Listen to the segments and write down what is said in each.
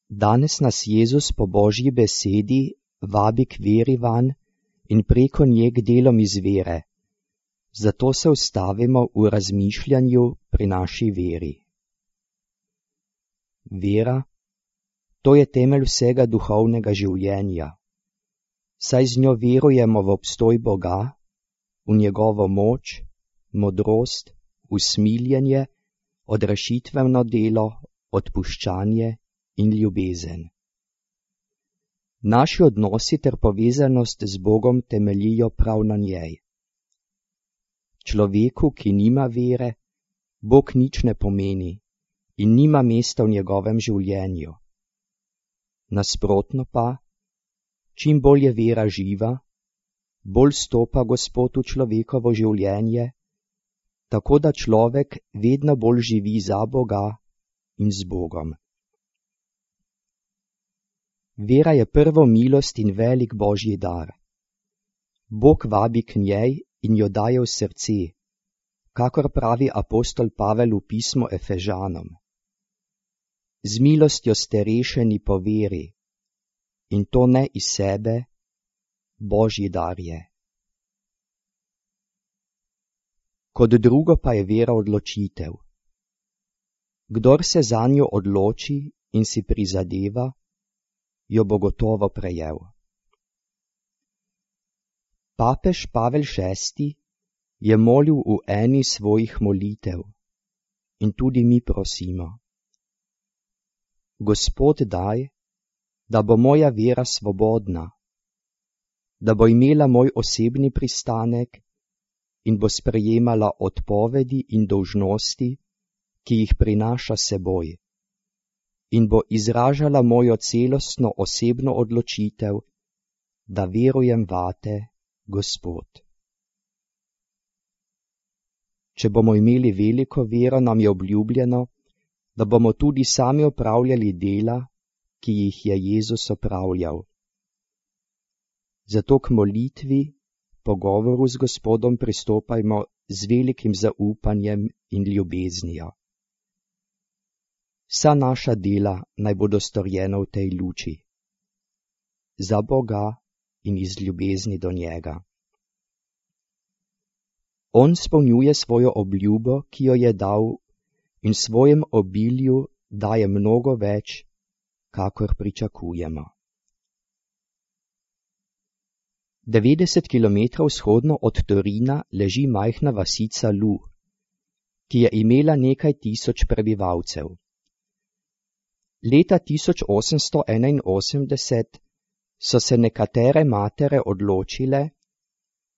Danes nas Jezus po Božji besedi vabi k veri vanj in preko nje k delom iz vere. Zato se ustavimo v razmišljanju pri naši veri. Vera, to je temelj vsega duhovnega življenja, saj z njo verujemo v obstoj Boga, v njegovo moč, modrost, usmiljenje, odrešitveno delo, odpuščanje in ljubezen. Naši odnosi ter povezanost z Bogom temeljijo prav na njej. Človeku, ki nima vere, Bog nič ne pomeni in nima mesta v njegovem življenju. Nasprotno pa, čim bolj je vera živa, bolj stopa Gospod v človekovo življenje, tako da človek vedno bolj živi za Boga in z Bogom. Vera je prvo milost in velik Božji dar. Bog vabi k njej in jo daje v srce, kakor pravi apostol Pavel v pismu Efežanom. Z milostjo ste rešeni po veri, in to ne iz sebe, Božji dar je. Kot drugo pa je vera odločitev. Kdor se zanjo odloči in si prizadeva, jo bo gotovo prejel. Papež Pavel VI je molil v eni svojih molitev in tudi mi prosimo. Gospod, daj, da bo moja vera svobodna, da bo imela moj osebni pristanek in bo sprejemala odpovedi in dolžnosti, ki jih prinaša seboj, in bo izražala mojo celostno osebno odločitev, da verujem vate, Gospod. Če bomo imeli veliko vero, nam je obljubljeno, da bomo tudi sami opravljali dela, ki jih je Jezus opravljal. Zato k molitvi, pogovoru z Gospodom pristopajmo z velikim zaupanjem in ljubeznijo. Vsa naša dela naj bodo storjena v tej luči, za Boga in iz ljubezni do njega. On spolnjuje svojo obljubo, ki jo je dal, in svojem obilju daje mnogo več, kakor pričakujemo. 90 kilometrov vzhodno od Torina leži majhna vasica Lu, ki je imela nekaj tisoč prebivalcev. Leta 1881 so se nekatere matere odločile,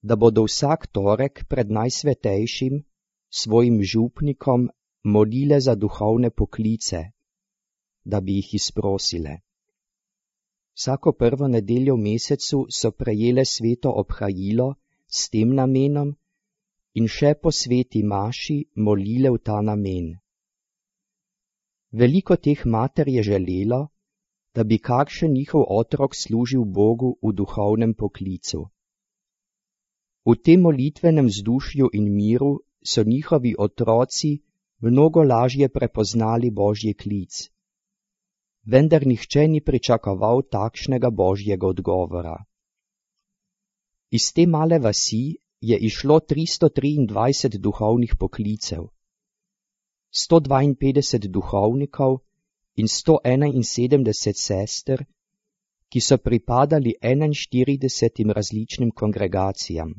da bodo vsak torek pred najsvetejšim, svojim župnikom, molile za duhovne poklice, da bi jih izprosile. Vsako prvo nedeljo v mesecu so prejele sveto obhajilo s tem namenom in še po sveti maši molile v ta namen. Veliko teh mater je želelo, da bi kakšen njihov otrok služil Bogu v duhovnem poklicu. V tem molitvenem vzdušju in miru so njihovi otroci mnogo lažje prepoznali Božji klic, vendar nihče ni pričakoval takšnega Božjega odgovora. Iz te male vasi je išlo 323 duhovnih poklicev, 152 duhovnikov in 171 sester, ki so pripadali 41 različnim kongregacijam.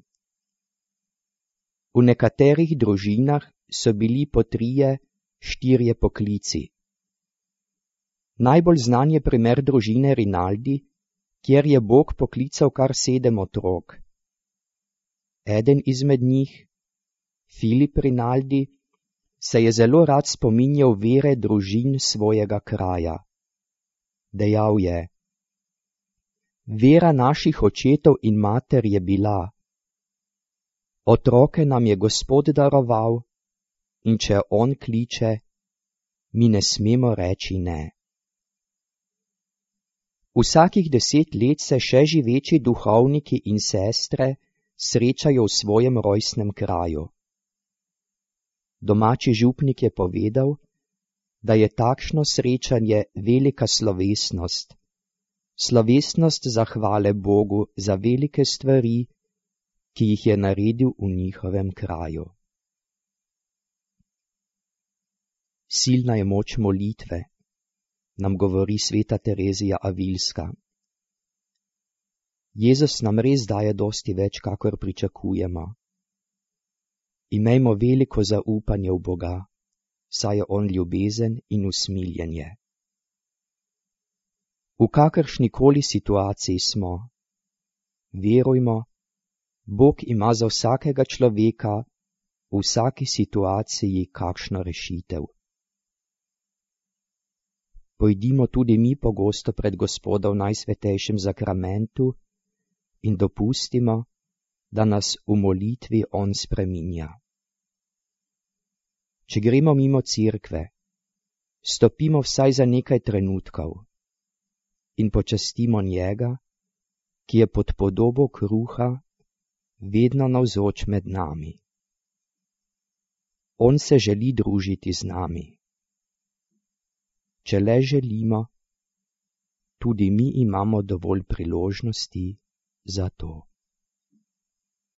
V nekaterih družinah so bili po 3-4 poklici. Najbolj znan je primer družine Rinaldi, kjer je Bog poklical kar 7 otrok. Eden izmed njih, Filip Rinaldi, se je zelo rad spominjal vere družin svojega kraja. Dejal je: vera naših očetov in mater je bila, otroke nam je Gospod daroval, in če on kliče, mi ne smemo reči ne. Vsakih 10 let se še živeči duhovniki in sestre srečajo v svojem rojstnem kraju. Domači župnik je povedal, da je takšno srečanje velika slovesnost, slovesnost zahvale Bogu za velike stvari, ki jih je naredil v njihovem kraju. Silna je moč molitve, nam govori sveta Terezija Avilska. Jezus nam res daje dosti več, kakor pričakujemo. Imejmo veliko zaupanje v Boga, saj je on ljubezen in usmiljenje. V kakršnikoli situaciji smo, verujmo, Bog ima za vsakega človeka v vsaki situaciji kakšno rešitev. Pojdimo tudi mi pogosto pred Gospoda v najsvetejšem zakramentu in dopustimo, da nas v molitvi on spreminja. Če gremo mimo cerkve, stopimo vsaj za nekaj trenutkov in počastimo njega, ki je pod podobo kruha vedno navzoč med nami. On se želi družiti z nami. Če le želimo, tudi mi imamo dovolj priložnosti za to.